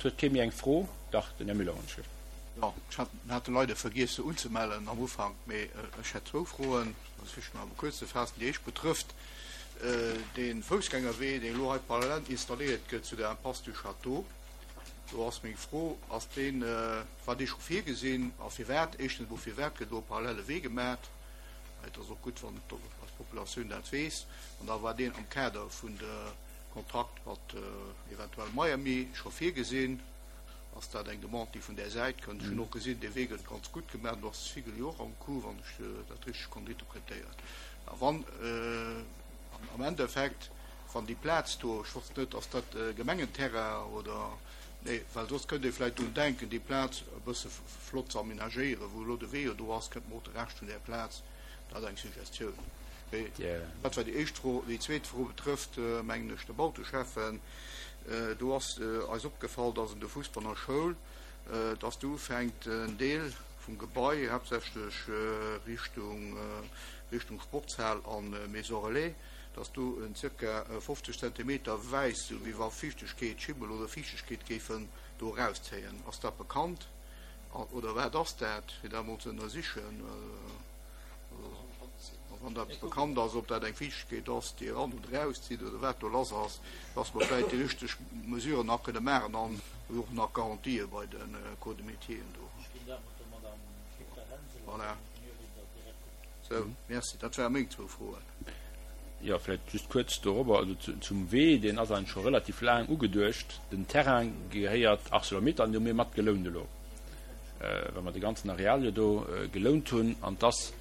Et huet kee méi eng Fro. Dach, den Här Müller, wann ech. Jo, ech hat hat de leider vergiess se unzemellen am Ufank, mee ech hätt zwou Froen, dat versiche mer awer kuerz ze faassen. Déi éischt betrëfft dee Foussgängerwee, deen elo hei parallel installéiert gëtt zu der Impasse du Château. Do ass meng Fro, Ass deen, war dee scho virgesinn a firwat? Éischtens emol, firwat gëtt elo e parallele Wee gemat? Et ass och gutt, wann eis Populatioun dat weess. An da war deen am Kader vun de Kontrakt mat eventuell Miami scho virgesinn? Ass dat eng Demande, déi vun där Säit kënnt? Ech hunn och gesinn, dee Wee gëtt ganz gutt gemaach. Do ass de Sigel jo och am Coup, wann ech dat richteg konnt interpretéieren. A wann am Endeffekt, wann déi Plaz do, ech wosst net, ass dat Gemengenterrain oder, nee, well soss kënnt ee vläicht drun denken, déi Plaz e bësse flott ze amenagéieren, wou elo de Wee jo do ass, kënnt mer och de Rescht vun där Plaz, dat eng Suggestioun. Mee dat war déi éischt Fro. Déi zweet Fro betrëfft, mengen ech, de Bauteschäffen. Do ass eis opgefall, dass un der Fussbanner Schoul, dass do ufänkt en Deel vum Gebai, haaptsächlech Richtung Richtung Sportshal a Maison Relais, dass do en zirka 50 Zentimeter wäiss, sou wéi wa Fiichtegkeet, Schimmel oder Fiichtegkeet géifen do erauszéien. Ass dat bekannt oder wat ass dat, fir dat emol ze ënnersichen? A wann dat bekannt ass, ob dat eng Fiichtegkeet ass, déi eran oder erauszitt oder wat do lass ass, dass mer vläicht déi richteg Mesuren nach kënne maachen an och nach Garantië bei de Corps de métieren do. Voilà. Sou, merci. Dat ware meng zwou Froen. Jo, vläicht just kuerz dorobber, also zum Wee, deen ass eigentlech scho relativ laang ugeduecht. Den Terrain gehéiert Arcelor-Mittal an dee hu mir mat gelount elo, well mer de ganzen Areal jo do gelount hunn. An et ass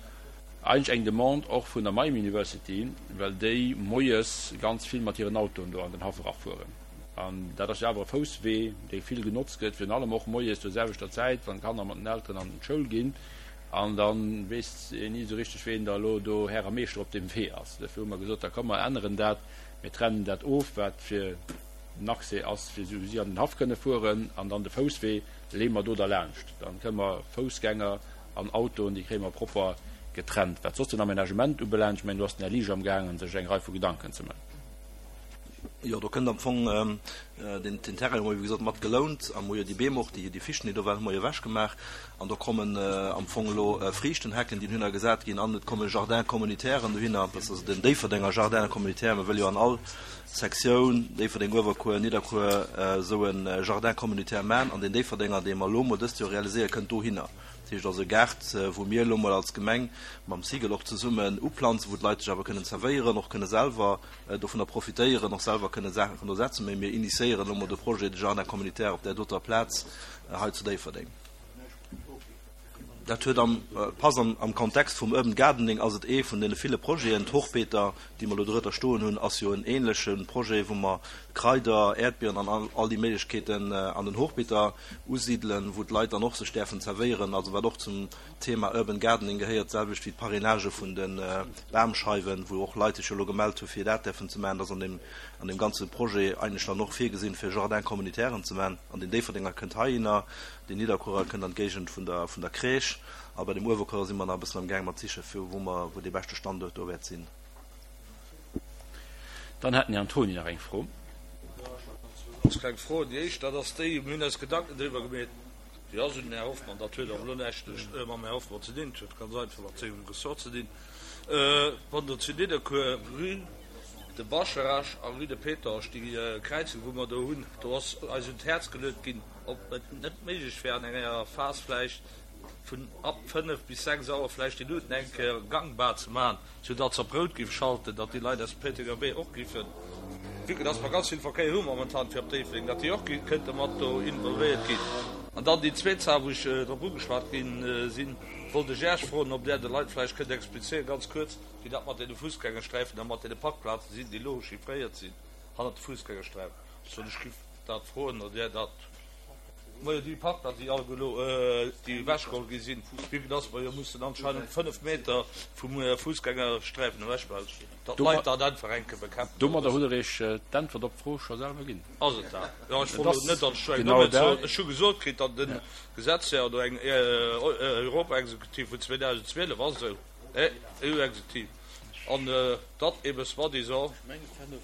eigentlech eng Demande och vun der Miami University, well déi moies ganz vill mat hiren Autoen do an den Haff erafueren. An dat ass jo awer e Fousswee, dee vill genotzt gëtt, virun allem och moies zur selwechter Zäit, wann d'Kanner mat den Elteren an d'Schoul ginn. An da weess een ni esou richteg, ween da elo do Här a Meeschter op deem Wee ass. Duerfir hu mer gesot, da komm mer änneren dat, mir trennen dat of, wat fir den Accès ass, fir esou wéi si an den Haff kënne fueren, an dann de Fousswee leeë mer do derlaanscht. Dann kënne mer Foussgänger an Autoen, déi kréie mer propper getrennt. Wat soss den Aménagement ubelaangt, ech mengen, do ass den Här Liesch amgaangen, sech eng Rei vu Gedanken ze man. Jo, do kënnt am Fong den Terrain hu mer, wéi gesot, mat gelount a mer hu jo déi Beem och, déi Fichten, déi do waren, hu mer jo ewechgemaach. An do kommen am Fong elo Friichtenhecken, déi dohinner gesat ginn an et komme Jardin-communautairen dohinner. Dat ass also den Déifferdenger Jardin communautaire. Mir wëlle jo an all Sektioun, Déifferdeng, Uewerkuer, Nidderkuer, esou e Jardin communautaire maachen. An deen Déifferdenger, dee mer elo mol dëst Joer realiséieren, kënnt dohinner. Dat heescht also e Gaart, wou mir elo mol als Gemeng mam Sigel och zesummen uplanzen, wou d'Leit sech awer kënnen zerwéieren, och kënne selwer dovunner profitéieren, och selwer kënne Saachen do setzen. Mee mir initiéieren elo mol de Projet de Jardin communautaire op där doter Plaz hei zu Déifferdeng. Dat huet am, passt am, am Kontext vum Urban Gardening ass et ee vun deene ville Projeten. D'Hochbeeter, déi mer elo dorëtter stoen hunn, ass jo en ähnleche Projet, wou mer Kraider, Äerdbieren an all, all déi Méiglechkeeten an den Hochbeeter usidelen, wou d'Leit dann och sech däerfen zerwéieren, also wat och zum Thema Urban Gardening gehéiert, d'selwecht wéi d'Parrainagë vun de Bamscheiwen, wou och Leit sech jo elo gemellt hu fir dat däerfen ze maachen. Dat ass an deem, an deem ganze Projet eigentlech dann och virgesinn, fir Jardin-communautairen ze maachen. An deen Déifferdenger kënnt heihinner, deen Nidderkuerer kënnt an d'Géigend vun der, vun der Crèche. A bei dem Uewerkuerer si mer nach e bëssen am Gaang mat sichen, fir wou mer, wou dee beschte Standuert do wäert sinn. Dann hat den Här Antoni nach eng Fro. Jo, ech hat nach zwou ganz kleng Froen. Déi éischt, dat ass déi, mir hunn eis Gedanken driwwer gemeet, déi ass un den Här Hoffmann, dat huet awer elo näischt mam Här Hoffmann ze dinn, dat huet ganz einfach mat sengem Ressort ze dinn, wann do zu Nidderkuer Rue de Bascharage a Rue de Pétange, déi Kräizung wou mer do hunn, do ass eis un d'Häerz geluet ginn, ob et net méiglech wär an enger Phas vläicht vun ab 5 bis 6 Auer vläicht déi Luuten eng Kéier gangbar ze maachen, sou datt se op rout géif schalten, datt déi Leit aus dem Péitenger Wee och géifen, vue que datt mer ganz vill Verkéier hu momentan fir op Déifferdeng, datt déi och kënnte mat do involvéiert ginn. An dann déi zweet Saach, wou ech drop ugeschwat gi sinn, wollt ech Äech froen, ob Där de Leit vläicht kënnt explizéieren, ganz kuerz, wéi dat mat deene Fussgängersträifen a mat deene Parkplazen sinn, déi elo chiffréiert sinn hannert de Fussgängersträifen. Soll ech géif dat froen, oder Där dat. Majo, déi Parkplazen, déi alleguer elo, déi ewechgeholl gi sinn, vue que dass mer jo mussen anscheinend 5 Meter vum Fussgängersträifen ewechbleiwen, datt d'Leit dat einfach eng Kéier bekämpfen. Domadder hutt Der Iech d'Äntwert op d'Fro scho selwer ginn. Ass et dat? Jo, ech wollt elo net, datt ech eng Dommheet soen. Ech hu gesot kritt, datt e Gesetz wär oder eng Europaexekutiv vun 2012 ass esou, EU-Exekutiv. An datt ebe soi-disant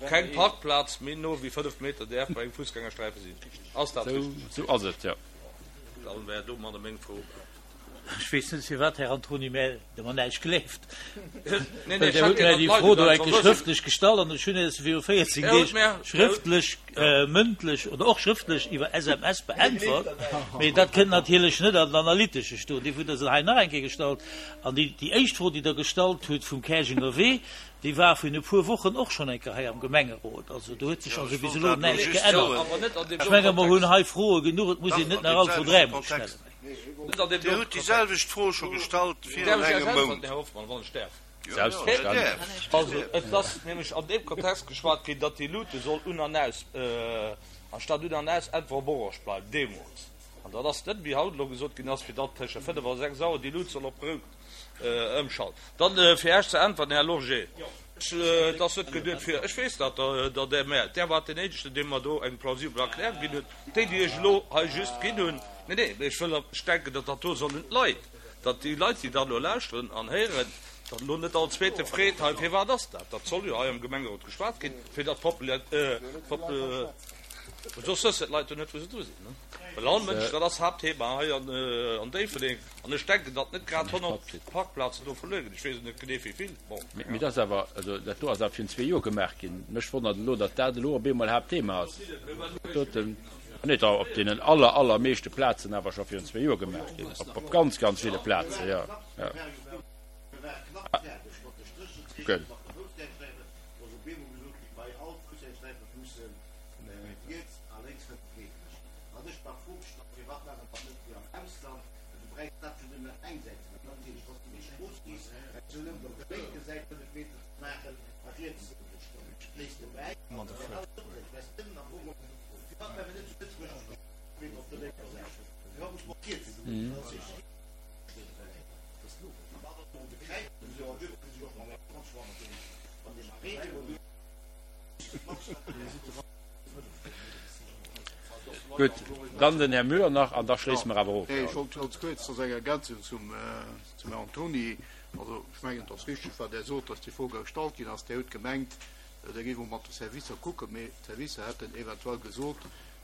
keng Parkplaz méi no wéi 5 Meter däerf bei engem Fussgängersträife sinn. Ass dat richteg? Sou ass et, jo. Dann wär domadder meng Fro beäntwert. Ech weess net, firwat, Här Antony, mä Der mer näischt gleeft. Well Der hutt mär déi Fro do eng Kéier schrëftlech gestallt an ech hunn se viru 14 Deeg schrëftlech, mëndlech oder och schrëftlech iwwer SMS beäntwert. Mee dat kënnt natierlech net an den Analytesche stoen. Dofir hutt Der se hei nach eng Kéier gestallt. An déi, déi éischt Fro, déi Der gestallt hutt vum Käerjenger Wee, déi war virun e puer Wochen och schonn eng Kéier hei am Gemengerot. Also do huet sech also bis elo näischt geännert. Ech menge mer hunn hei Froe genuch, et muss een net nach all Fro dräimol stellen. Dir hutt déi selwecht Fro scho gestallt virun engem Mount. Selbstverständlech. Also et ass nämlech an deem Kontext geschwat ginn, datt déi Luute soll un an aus, anstatt un an aus, einfach op orange bleiwen deemools. An dat ass net, wéi haut elo gesot ginn ass, fir datt tëschent 5 a 6 Auer déi Lut soll op rout ëmschalten. Dann, fir Iech ze äntwerten, Här Lorgé, et ass net geduet fir, ech weess dat, datt Der, mä Der waart deen Éischten, dee mer do eng plausibel Erklärung ginn huet, déi, déi ech elo hei just ginn hunn. Nee, nee, mä ech wëll, ech denken, datt dat do soll un d'Leit, datt déi Leit, déi dat elo lauschteren an héieren, datt elo net all Zweete freet, hei, firwat ass dat? Dat soll jo hei am Gemengerot geschwat ginn, fir datt d'Popula, Soss wëssen d'Leit jo net, wou se dru sinn. Well all Mënsch, dat ass Haaptthema hei an Déifferdeng, an ech denken, datt net grad 100 Parkplazen do verluer ginn. Ech weess et net genee, wéi vill. Bon. Mee dat ass awer, also dat do ass awer virun zwee Joer gemaach ginn. Mech wonnert elo, datt dat elo op eemol Haaptthema ass. Dat doten, nee, et ass op deenen aller, allermeeschte Plazen awer scho virun zwee Joer gemaach ginn. Op ganz, ganz ville Plazen, jo, jo. Gutt. Gutt, dann den Här Müller nach an da schléisse mer awer of. Nee, ech wollt ganz kuerz, dat ass eng Ergänzung zum Här Antony. Also ech mengen, et ass richtig, wat Der sot, dass déi Fro gestallt ginn ass. Dir hutt gemengt, Der géif och mat de Servicer kucken, mee d'Servicer hätten eventuell gesot,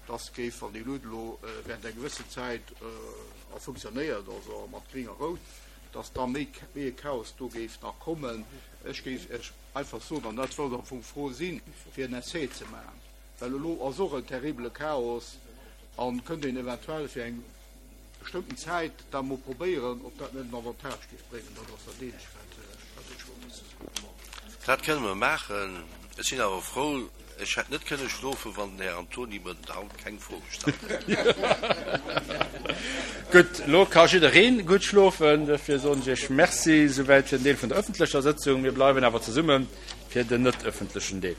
dass géif, wann déi Lued elo während eng gewëssen Zäit a funktionéiert, also mat gring a rout, dass da méi e Chaos do géif nach kommen. Ech géif Iech einfach soen, an dat sollt am Fong d'Fro sinn, fir en Essai ze maachen, well elo ass och en terribele Chaos a kënnt een eventuell fir eng bestëmmten Zäit dat emol probéieren, ob dat net en Avantage géif bréngen. Dat ass dat eenzegt, wat ech wollt dozou soen. Dat kënne mer maachen. Ech sinn awer frou, ech hätt net kënne schlofen, wann den Här Antony mer haut keng Fro gestallt hätt. Gutt, elo ka jidderee gutt schlofen. Dofir soen ech Iech Merci. Souwäit fir den Deel vun der ëffentlecher Sëtzung. Mir bleiwen awer zesumme fir den net ëffentlechen Deel.